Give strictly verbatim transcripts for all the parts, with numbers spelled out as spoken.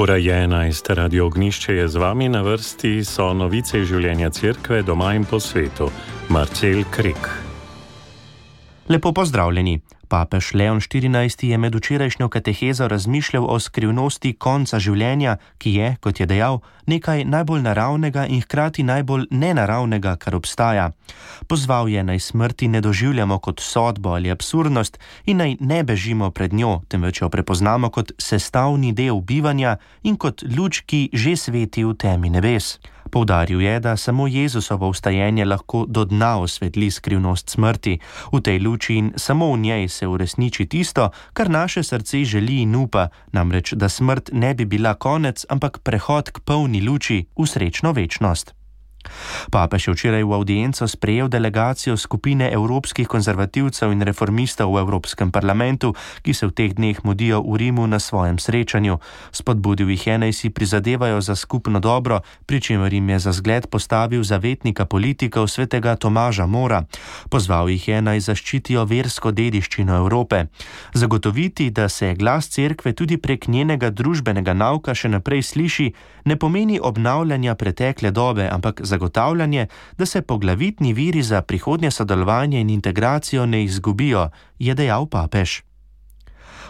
Ura je enajst, Radio Ognišče je z vami, na vrsti so novice iz življenja cerkve doma in po svetu. Marcel Krek. Lepo pozdravljeni. Papež Leon štirinajsti je med včerajšnjo katehezo razmišljal o skrivnosti konca življenja, ki je, kot je dejal, nekaj najbolj naravnega in hkrati najbolj nenaravnega, kar obstaja. Pozval je, naj smrti ne doživljamo kot sodbo ali absurdnost in naj ne bežimo pred njo, temveč jo prepoznamo kot sestavni del bivanja in kot luč, ki že sveti v temi nebes. Poudaril je, da samo Jezusovo vstajenje lahko do dna osvetli skrivnost smrti. V tej luči in samo v njej se uresniči tisto, kar naše srce želi in upa, namreč, da smrt ne bi bila konec, ampak prehod k polni luči v srečno večnost. Papež je včeraj v avdienco sprejel delegacijo skupine evropskih konzervativcev in reformistov v Evropskem parlamentu, ki se v teh dneh mudijo v Rimu na svojem srečanju. Spodbudil jih je, naj si prizadevajo za skupno dobro, pri čemer jim je za zgled postavil zavetnika politikov svetega Tomaža Mora. Pozval jih je, naj zaščitijo versko dediščino Evrope. Zagotoviti, da se glas cerkve tudi prek njenega družbenega nauka še naprej sliši, ne pomeni obnavljanja pretekle dobe, ampak zagotavljanje, da se poglavitni viri za prihodnje sodelovanje in integracijo ne izgubijo, je dejal papež.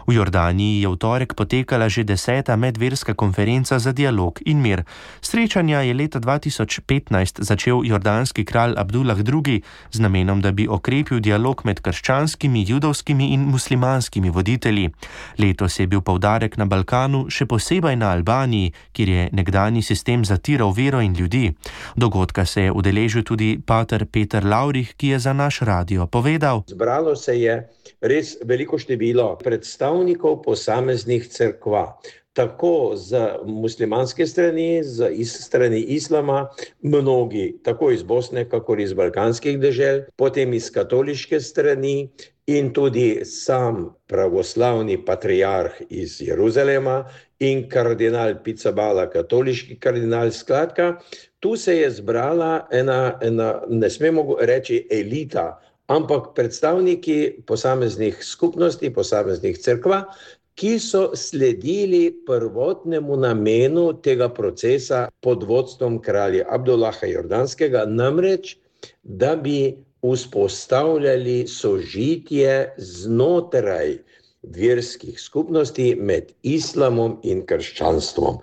V Jordaniji je v torek potekala že deseta medverska konferenca za dialog in mir. Srečanja je leta dva tisoč petnajst začel jordanski kralj Abdullah drugi z namenom, da bi okrepil dialog med krščanskimi, judovskimi in muslimanskimi voditelji. Letos je bil poudarek na Balkanu, še posebej na Albaniji, kjer je nekdanji sistem zatiral vero in ljudi. Dogodka se je udeležil tudi pater Peter Lavrih, ki je za naš radio povedal: Zbralo se je res veliko število predstavnikov posameznih cerkva, tako z muslimanske strani, z iz strani islama, mnogi, tako iz Bosne, kakor iz balkanskih dežel, potem iz katoliške strani in tudi sam pravoslavni patriarh iz Jeruzalema in kardinal Pizzaballa, katoliški kardinal. Skratka, tu se je zbrala ena, ena, ne smemo reči elita, ampak predstavniki posameznih skupnosti, posameznih cerkva, ki so sledili prvotnemu namenu tega procesa pod vodstvom kralja Abdullaha Jordanskega, namreč, da bi vzpostavljali sožitje znotraj verskih skupnosti med islamom in krščanstvom.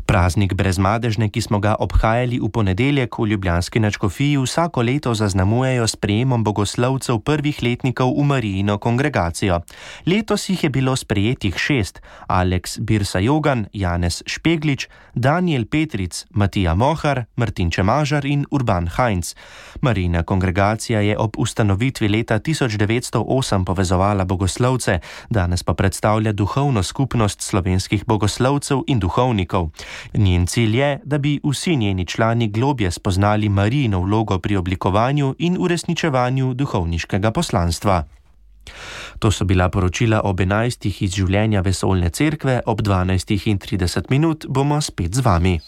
Praznik brezmadežne, ki smo ga obhajali v ponedeljek v ljubljanski nadškofiji, vsako leto zaznamujejo s sprejemom bogoslovcev prvih letnikov v Marijino kongregacijo. Letos jih je bilo sprejetih šest: Aleks Birsa-Jogan, Janez Špeglič, Daniel Petric, Matija Mohar, Martin Čemažar in Urban Heinz. Marijina kongregacija je ob ustanovitvi leta tisoč devetsto osem povezovala bogoslovce, danes pa predstavlja duhovno skupnost slovenskih bogoslovcev in duhovnikov. Njen cilj je, da bi vsi njeni člani globje spoznali Marijino vlogo pri oblikovanju in uresničevanju duhovniškega poslanstva. To so bila poročila ob enajstih iz življenja vesoljne cerkve, ob dvanajstih in trideset minut bomo spet z vami.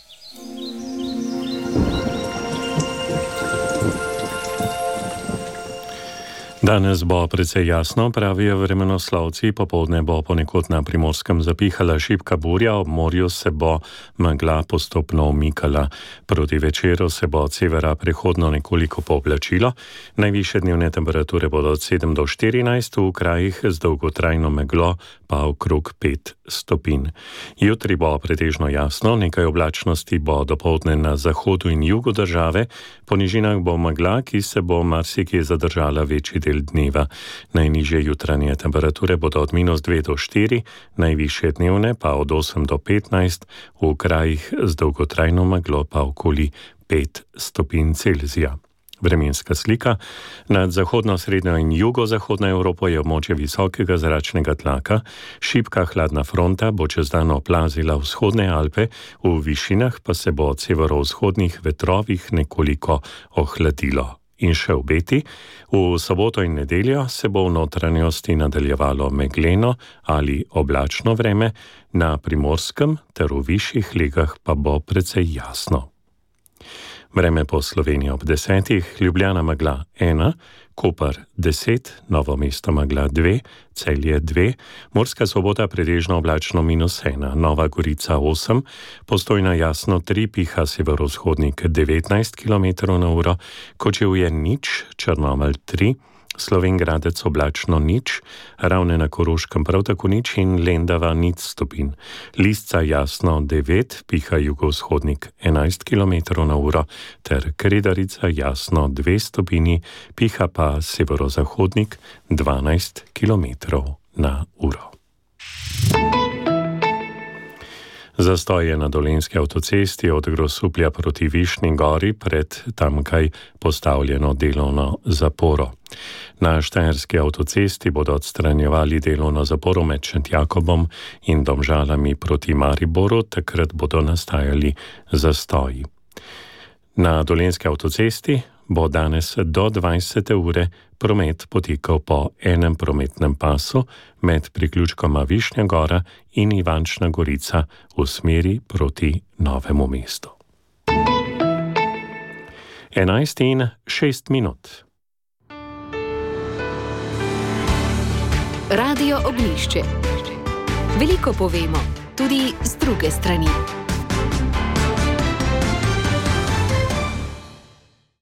Danes bo precej jasno, pravijo vremenoslovci, popoldne bo ponekod na Primorskem zapihala šibka burja, ob morju se bo megla postopno umikala. Proti večeru se bo od severa prehodno nekoliko pooblačilo, najvišje dnevne temperature bodo od sedem do štirinajst, v krajih z dolgotrajno meglo pa okrog pet stopinj. Jutri bo pretežno jasno, nekaj oblačnosti bo dopoldne na zahodu in jugu države, po nižinah bo megla, ki se bo marsikje zadržala večji del dneva. Najnižje jutranje temperature bodo od minus dve do štiri, najvišje dnevne pa od osem do petnajst, v krajih z dolgotrajno meglo pa okoli pet stopinj Celzija. Vremenska slika. Nad zahodno, srednjo in jugozahodno Evropo je območje visokega zračnega tlaka, šibka hladna fronta bo čez dan oplazila vzhodne Alpe, v višinah pa se bo od severovzhodnih vetrovih nekoliko ohladilo. In še obeti. V soboto in nedeljo se bo v notranjosti nadaljevalo megleno ali oblačno vreme, na Primorskem ter v višjih legah pa bo precej jasno. Vreme po Sloveniji ob desetih, Ljubljana megla ena, Koper deset, Novo mesto megla dve, Celje dve, Murska Sobota pretežno oblačno minus ena, Nova Gorica osem, Postojna jasno tri, piha severovzhodnik devetnajst kilometrov na uro, Kočevje nič, Črnomelj tri, Slovenj Gradec oblačno nič, Ravne na Koroškem prav tako nič in Lendava nič stopinj. Lisca jasno devet, piha jugovzhodnik enajst kilometrov na uro, ter Kredarica jasno dve stopinji, piha pa severozahodnik dvanajst kilometrov na uro. Zastoj je na Dolenjski avtocesti od Grosuplja proti Višnji Gori pred tamkaj postavljeno delovno zaporo. Na Štajerski avtocesti bodo odstranjevali delovno zaporo med Šentjakobom in Domžalami proti Mariboru, takrat bodo nastajali zastoji. Na Dolenjski avtocesti bo danes do dvajsete ure promet potekal po enem prometnem pasu med priključkoma Višnja Gora in Ivančna Gorica v smeri proti Novemu mestu. enajst in šest minut. Radio Ognjišče. Veliko povemo, tudi z druge strani.